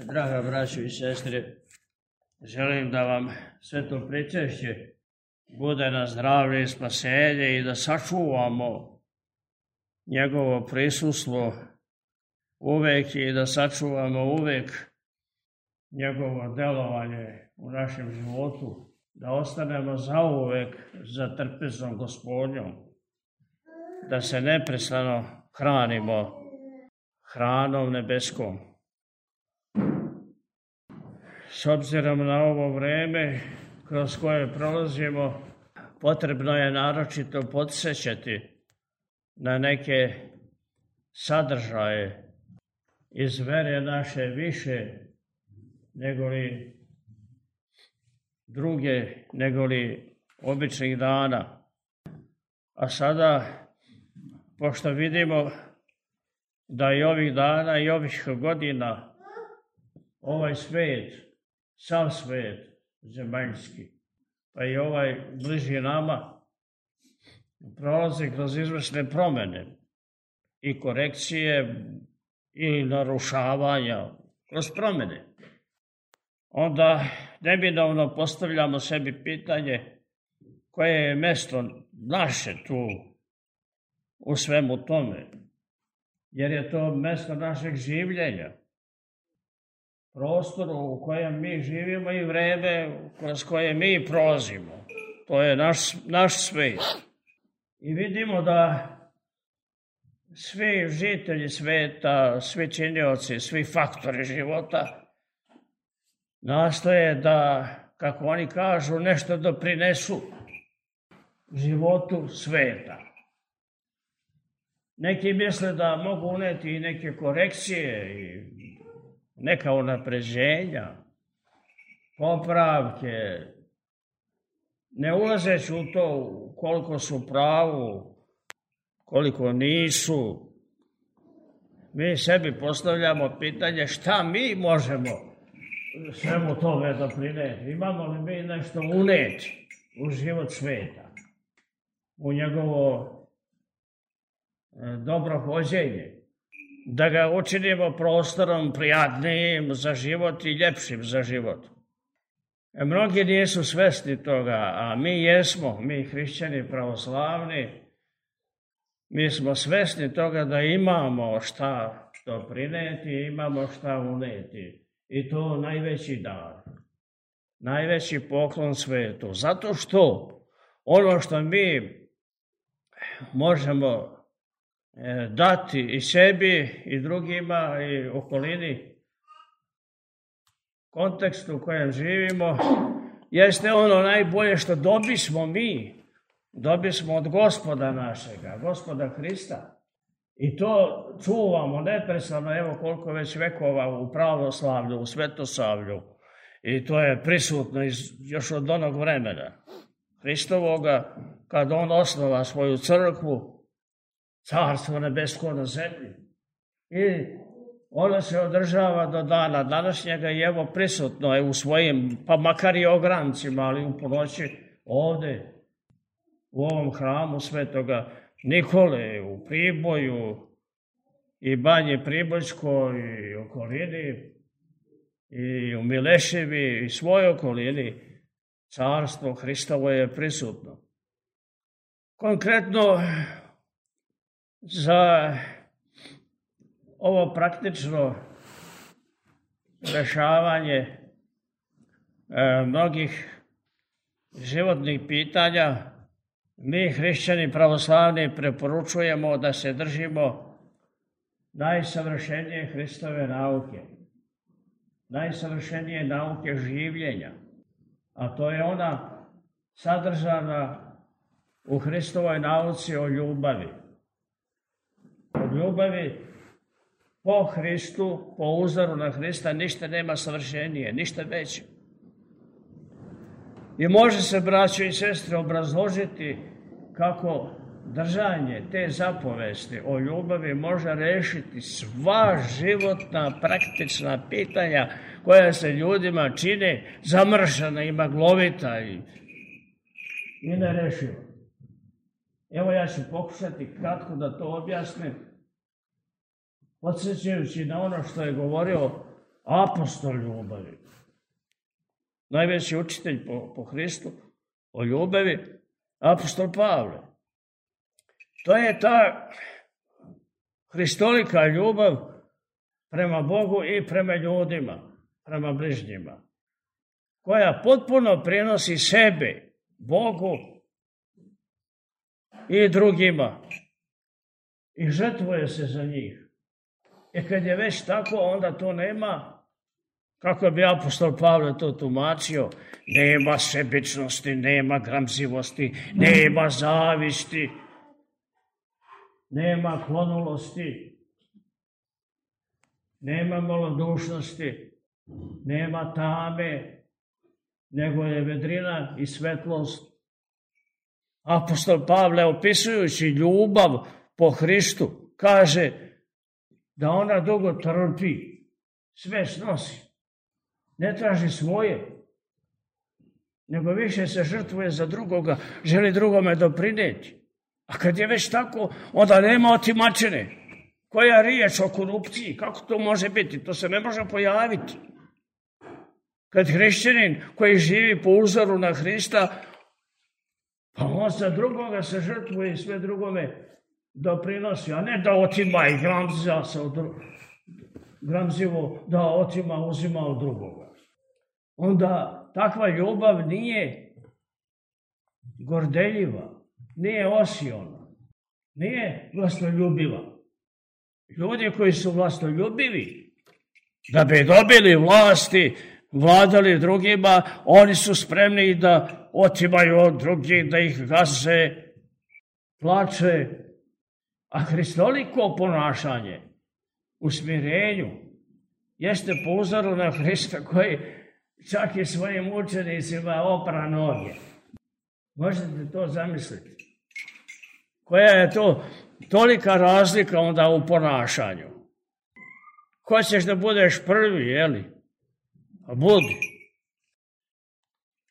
Draga braćo i sestre, želim da vam sve to pričešće bude na zdravlje i spasenje i da sačuvamo njegovo prisustvo uvek i da sačuvamo uvek njegovo delovanje u našem životu, da ostanemo zauvek za trpezom Gospodnjom, da se neprestano hranimo hranom nebeskom. S obzirom na ovo vreme kroz koje prolazimo, potrebno je naročito podsjećati na neke sadržaje iz vere naše više negoli druge, negoli običnih dana. A sada, pošto vidimo da i ovih dana i ovih godina ovaj svet, sav svet zemaljski, pa i ovaj bliži nama, prolazi kroz izvršne promene i korekcije i narušavanja kroz promene. Onda neminovno postavljamo sebi pitanje koje je mesto naše tu u svemu tome, jer je to mesto našeg življenja, prostoru u kojem mi živimo i vreme kroz koje mi prolazimo. To je naš svet. I vidimo da svi žitelji sveta, svi činioci, svi faktori života nastoje da, kako oni kažu, nešto doprinesu životu sveta. Neki misle da mogu uneti i neke korekcije i neka unapređenja, popravke, ne ulazeći u to koliko su pravu, koliko nisu. Mi sebi postavljamo pitanje šta mi možemo svemu tome doprineti. Imamo li mi nešto uneti u život sveta, u njegovo dobro hođenje, da ga učinimo prostorom prijatnijim za život i ljepšim za život. Mnogi nisu svesni toga, a mi jesmo, mi hrišćani pravoslavni, mi smo svesni toga da imamo šta doprineti, imamo šta uneti. I to najveći dar, najveći poklon svetu. Zato što ono što mi možemo dati i sebi i drugima i okolini, kontekstu u kojem živimo, jeste ono najbolje što dobismo mi. Dobismo od Gospoda našega, Gospoda Hrista. I to čuvamo neprestano, evo koliko već vekova u pravoslavlju, u svetosavlju. I to je prisutno još od onog vremena Hristovoga, kad on osnova svoju crkvu, carstvo nebesko na zemlji. I ono se održava do dana današnjega i evo prisutno je u svojim, pa makar i ograncima, ali u ponoći ovde, u ovom hramu Svetoga Nikole, u Priboju i Banji Pribojskoj i okolini i u Mileševi i svoj okolini, carstvo Hristovo je prisutno. Konkretno za ovo praktično rešavanje mnogih životnih pitanja, mi hrišćani pravoslavni preporučujemo da se držimo najsavršenije Hristove nauke, najsavršenije nauke življenja, a to je ona sadržana u Hristovoj nauci o ljubavi. Od ljubavi po Hristu, po uzoru na Hrista, ništa nema savršenije, ništa veće. I može se, braćo i sestre, obrazložiti kako držanje te zapovesti o ljubavi može rešiti sva životna, praktična pitanja koja se ljudima čine zamršena i maglovita i nerešiva. Evo ja ću pokušati kratko da to objasnim, podsjećajući na ono što je govorio apostol ljubavi. Najveći učitelj po Hristu o ljubavi, apostol Pavle. To je ta hristolika ljubav prema Bogu i prema ljudima, prema bližnjima, koja potpuno prenosi sebe Bogu i drugima i žrtvuje se za njih. I kad je već tako, onda to nema, kako bi apostol Pavle to tumačio, nema sebičnosti, nema gramzivosti, nema zavisti, nema klonulosti, nema malodušnosti, nema tame, nego je vedrina i svetlost. Apostol Pavle, opisujući ljubav po Hristu, kaže da ona dugo trpi, sve snosi, ne traži svoje, nego više se žrtvuje za drugoga, želi drugome doprinijeti. A kad je već tako, onda nema otimačine. Koja riječ o korupciji? Kako to može biti? To se ne može pojaviti. Kad hrišćanin koji živi po uzoru na Hrista, pa on za drugoga se žrtvuje i sve drugome doprinosi, a ne da otima i gramzivo da otima, uzima od drugoga. Onda takva ljubav nije gordeljiva, nije osiona, nije vlastoljubiva. Ljudi koji su vlastoljubivi, da bi dobili vlasti, vladali drugima, oni su spremni da otimaju od drugih, da ih gaze, plače. A hristoliko ponašanje u smirenju jeste po uzoru na Hrista koji čak i svojim učenicima opra noge. Možete to zamisliti? Koja je to tolika razlika onda u ponašanju? Hoćeš da budeš prvi, jeli? A budi.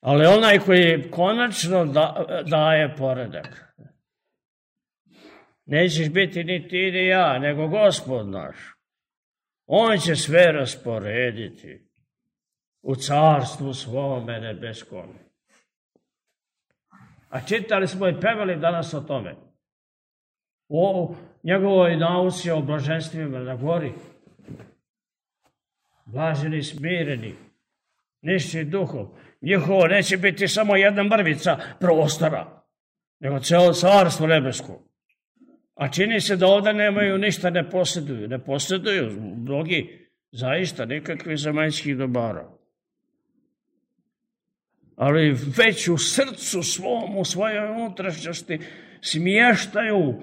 Ali onaj koji konačno daje poredak. Nećeš biti ni ti ni ja, nego Gospod naš. On će sve rasporediti u carstvu svome nebeskom. A čitali smo i pevali danas o tome. O njegovoj nauci o blaženstvima na gori. Blaženi, smireni, nišći duhom. Njihovo neće biti samo jedna mrvica prostora, nego celo carstvo nebesko. A čini se da ovdje nemaju ništa, ne posjeduju. Ne posjeduju mnogi zaista nikakvih zemaljskih dobara. Ali već u srcu svom, u svojoj unutrašnjosti smještaju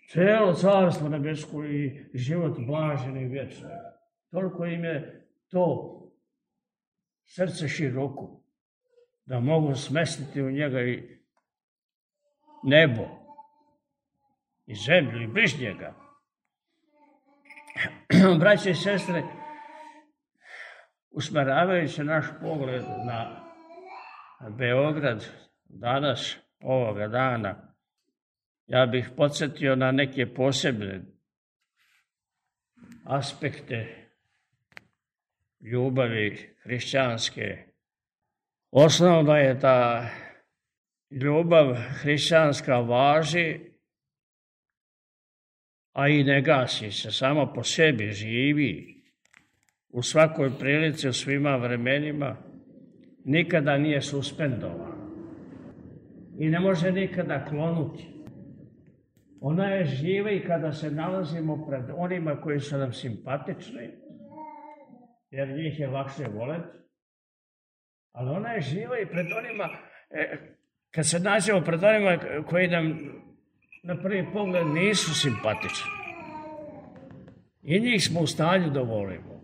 celo carstvo nebesko i život blažen i vječan. Toliko im je to srce široko, da mogu smestiti u njega i nebo, i zemlju, i bližnjega. Braće i sestre, usmeravajući naš pogled na Beograd danas, ovoga dana, ja bih podsjetio na neke posebne aspekte ljubavi hrišćanske. Osnovno je da ljubav hrišćanska važi, a i ne gasi se, samo po sebi živi, u svakoj prilici, u svima vremenima, nikada nije suspendovan i ne može nikada klonuti. Ona je živa i kada se nalazimo pred onima koji su nam simpatični, jer njih je lakše voleti, ali ona je živa i pred onima, kad se nađemo pred onima koji nam na prvi pogled nisu simpatični. I njih smo u stanju da volimo.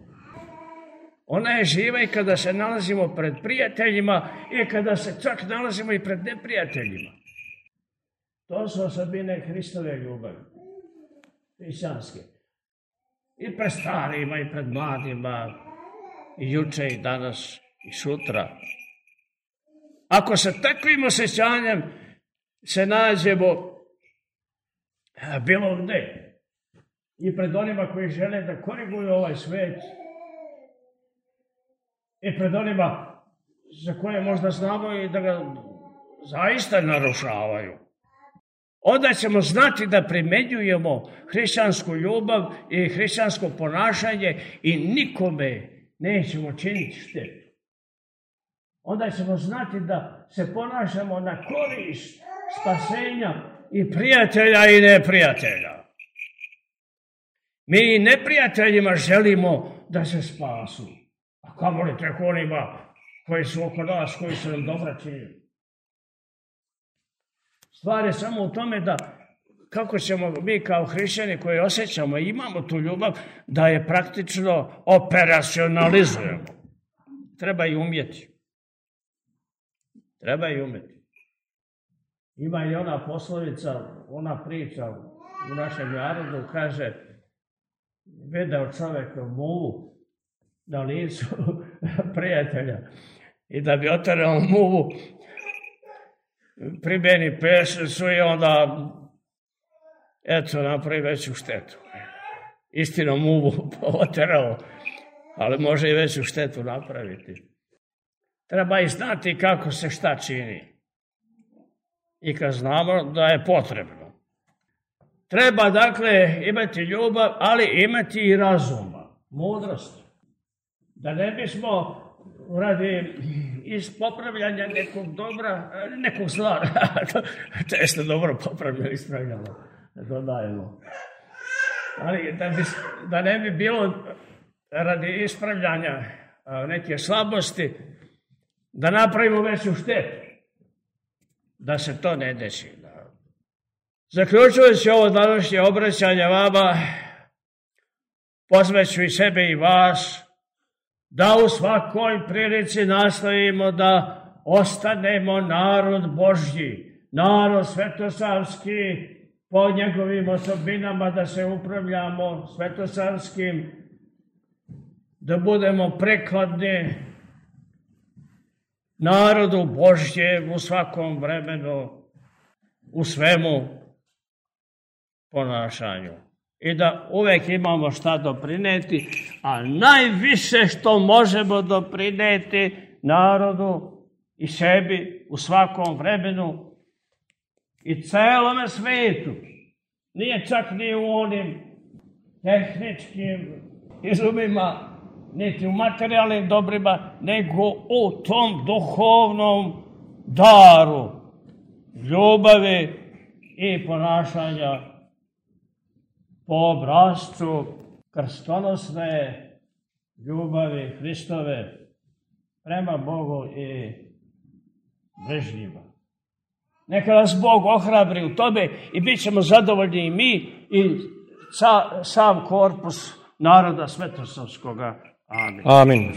Ona je živa i kada se nalazimo pred prijateljima i kada se čak nalazimo i pred neprijateljima. To su osobine Hristove ljubavi, hrišćanske. I pred starima, i pred mladima, i juče, i danas, i sutra. Ako sa takvim osjećanjem se nađemo bilo gde i pred onima koji žele da koriguju ovaj svet, i pred onima za koje možda znamo i da ga zaista narušavaju. Onda ćemo znati da primenjujemo hrišćansku ljubav i hrišćansko ponašanje i nikome nećemo činiti štetu. Onda ćemo znati da se ponašamo na korist spasenja i prijatelja i neprijatelja. Mi i neprijateljima želimo da se spasu. A kamoli tek onima koji su oko nas, koji su nam dobra činili. Stvar je samo u tome da kako ćemo mi kao hrišćani koji osjećamo i imamo tu ljubav, da je praktično operacionalizujemo. Treba i umjeti. Treba i umjeti. Ima i ona poslovica, ona priča u našem narodu, kaže, video čovjek muvu na licu prijatelja i da bi oterao muvu, primjeni pešicu i onda eto napravi veću štetu. Istina muvu oterao, ali može i veću štetu napraviti. Treba i znati kako se šta čini. I kad znamo da je potrebno. Treba dakle imati ljubav, ali imati i razuma, mudrost. Da ne bismo radi iz popravljanja nekog dobra, nekog zla, to jeste dobro popravljeno, ispravljamo, dodajemo. Ali da ne bi bilo radi ispravljanja neke slabosti, da napravimo veću štetu, da se to ne desi. Zaključujući ovo današnje obraćanje vama, pozvaću i sebe i vas, da u svakoj prilici nastavimo da ostanemo narod Božji, narod svetosavski, po njegovim osobinama da se upravljamo svetosavskim, da budemo prekladni narodu Božjem u svakom vremenu, u svemu ponašanju. I da uvek imamo šta doprineti, a najviše što možemo doprineti narodu i sebi u svakom vremenu i celome svetu. Nije čak ni u onim tehničkim izumima, niti u materijalnim dobrima, nego u tom duhovnom daru ljubavi i ponašanja po obrascu krstonosne ljubavi Hristove prema Bogu i bližnjima. Neka nas Bog ohrabri u tome i bit ćemo zadovoljni i mi i sav korpus naroda svetosavskoga. Amin. Amin.